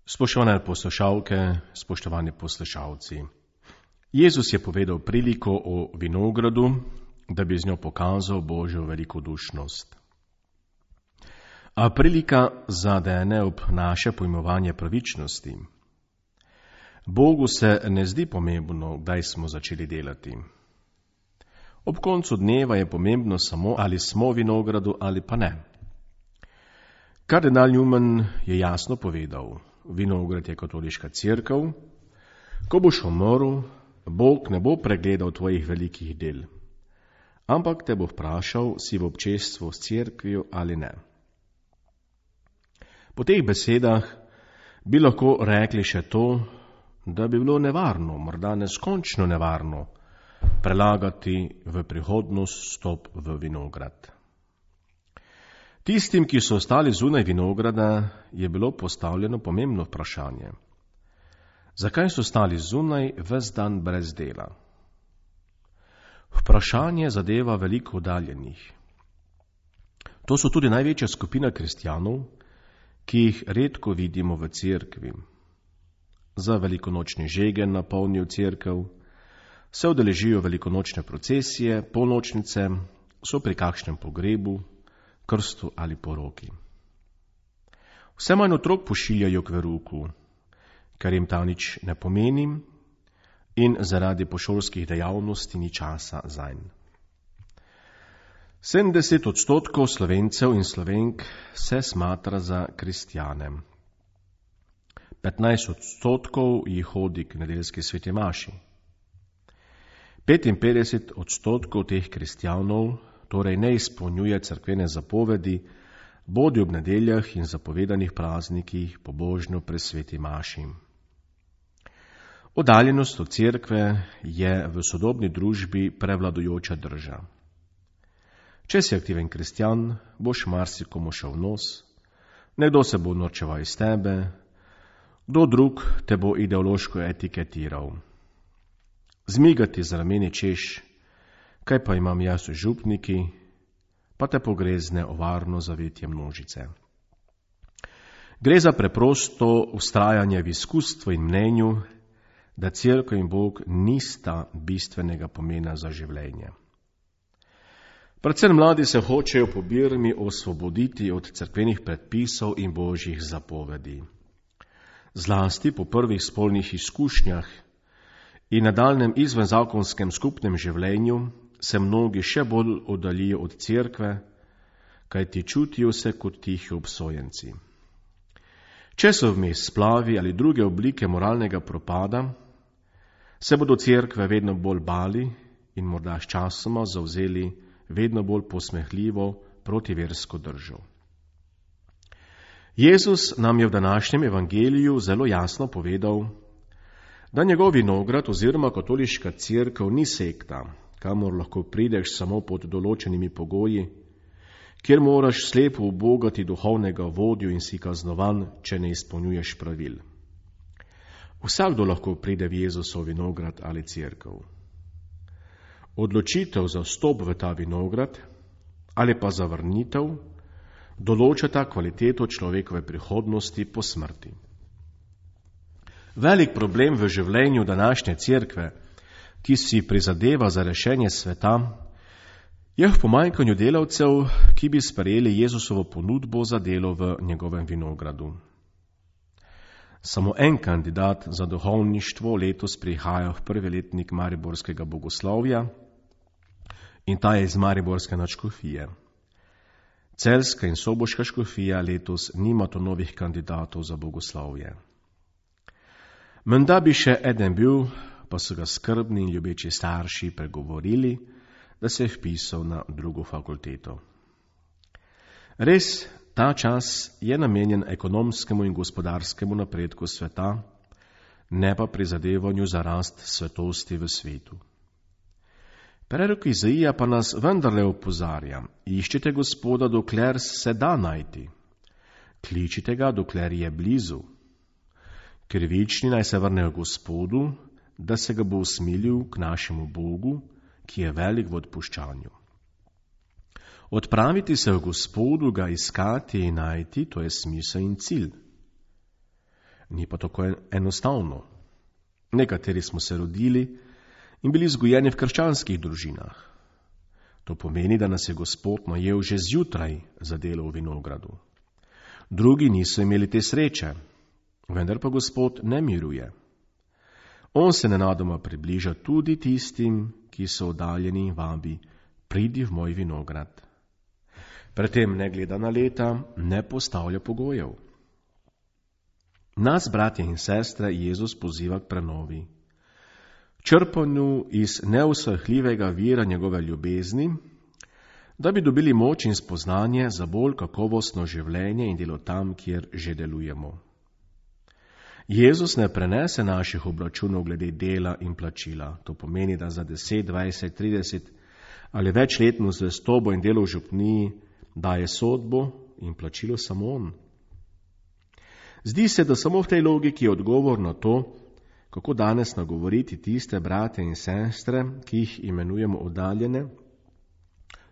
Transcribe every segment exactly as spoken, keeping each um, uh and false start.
Spoštovane poslušalke, spoštovani poslušalci. Jezus je povedal priliko o vinogradu, da bi z njo pokazal Božjo velikodušnost. A prilika zadene ob naše pojmovanje pravičnosti. Bogu se ne zdi pomembno, kdaj smo začeli delati. Ob koncu dneva je pomembno samo, ali smo v vinogradu ali pa ne. Kardinal Newman je jasno povedal, vinograd je katoliška cerkev, ko boš umrl, Bog ne bo pregledal tvojih velikih del, ampak te bo vprašal, si v občestvu s cerkvijo ali ne. Po teh besedah bi lahko rekli še to, da bi bilo nevarno, morda neskončno nevarno, prelagati v prihodnost stop v vinograd. Tistim, ki so ostali zunaj vinograda, je bilo postavljeno pomembno vprašanje. Zakaj so ostali zunaj ves dan brez dela? Vprašanje zadeva veliko oddaljenih. To so tudi največja skupina kristjanov, ki jih redko vidimo v cerkvi. Za velikonočni žegen napolnijo cerkev, se udeležijo velikonočne procesije, polnočnice, so pri kakšnem pogrebu, krstu ali poroki. Vse manj otrok pošiljajo k verouku, ker jim ta nič ne pomeni in zaradi pošolskih dejavnosti ni časa zanj. sedemdeset odstotkov Slovencev in Slovenk se smatra za kristjane. petnajst odstotkov jih hodi k nedeljski sveti maši. petinpetdeset odstotkov teh kristjanov torej ne izpolnjuje cerkvene zapovedi, bodi ob nedeljah in zapovedanih praznikih pobožno pri sveti maši. Oddaljenost od cerkve je v sodobni družbi prevladujoča drža. Če si aktiven kristjan, boš marsikomu šel v nos, nekdo se bo norčeval iz tebe, kdo drug te bo ideološko etiketiral. Zmigati z rameni češ, kaj pa imam jaz v župniki, pa te pogrezne ovarno zavetje množice. Gre za preprosto vztrajanje v izkustvu in mnenju, da cerkev in Bog nista bistvenega pomena za življenje. Predvsem mladi se hočejo po Birmi osvoboditi od cerkvenih predpisov in božjih zapovedi. Zlasti po prvih spolnih izkušnjah in nadaljnjem izvenzakonskem skupnem življenju se mnogi še bolj oddaljijo od cerkve, kajti čutijo se kot tihi obsojenci. Če so vmes splavi ali druge oblike moralnega propada, se bodo cerkve vedno bolj bali in morda sčasoma zavzeli vedno bolj posmehljivo protiversko držo. Jezus nam je v današnjem evangeliju zelo jasno povedal, da njegov vinograd oziroma katoliška cerkev ni sekta, kamor lahko prideš samo pod določenimi pogoji, kjer moraš slepo ubogati duhovnega vodjo in si kaznovan, če ne izpolnjuješ pravil. Vsakdo lahko pride v Jezusov vinograd ali cerkev. Odločitev za vstop v ta vinograd ali pa za vrnitev določata kvaliteto človekove prihodnosti po smrti. Velik problem v življenju današnje cerkve, ki si prizadeva za rešenje sveta, je v pomanjkanju delavcev, ki bi sprejeli Jezusovo ponudbo za delo v njegovem vinogradu. Samo en kandidat za duhovništvo letos prihaja v prvi letnik mariborskega bogoslovja in ta je iz mariborske nadškofije. Celjska in soboška škofija letos nimata novih kandidatov za bogoslovje. Menda bi še eden bil, pa so ga skrbni in ljubeči starši pregovorili, da se je vpisal na drugo fakulteto. Res, ta čas je namenjen ekonomskemu in gospodarskemu napredku sveta, ne pa prizadevanju za rast svetosti v svetu. Prerok Izaija pa nas vendarle opozarja, iščite Gospoda, dokler se da najti. Kličite ga, dokler je blizu. Krivični naj se vrnejo Gospodu, da se ga bo usmilil k našemu Bogu, ki je velik v odpuščanju. Odpraviti se v Gospodu, ga iskati in najti, to je smisel in cilj. Ni pa tako enostavno. Nekateri smo se rodili in bili vzgojeni v krščanskih družinah. To pomeni, da nas je Gospod najel že zjutraj za delo v vinogradu. Drugi niso imeli te sreče, vendar pa Gospod ne miruje. On se nenadoma približa tudi tistim, ki so oddaljeni in vabi, pridi v moj vinograd. Predtem ne gleda na leta, ne postavlja pogojev. Nas, bratje in sestre, Jezus poziva k prenovi. Črpanju iz neusahljivega vira njegove ljubezni, da bi dobili moč in spoznanje za bolj kakovostno življenje in delo tam, kjer že delujemo. Jezus ne prenese naših obračunov glede dela in plačila. To pomeni, da za deset, dvajset, trideset ali večletno zvestobo in delo v župniji daje sodbo in plačilo samo on. Zdi se, da samo v tej logiki je odgovor na to, kako danes nagovoriti tiste brate in sestre, ki jih imenujemo oddaljene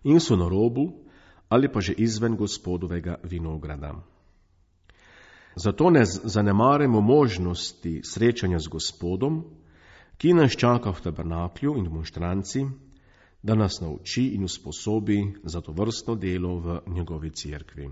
in so na robu ali pa že izven Gospodovega vinograda. Zato ne zanemarimo možnosti srečanja z Gospodom, ki nas čaka v tabernaklju in demonštranci, da nas nauči in usposobi za to vrstno delo v njegovi cerkvi.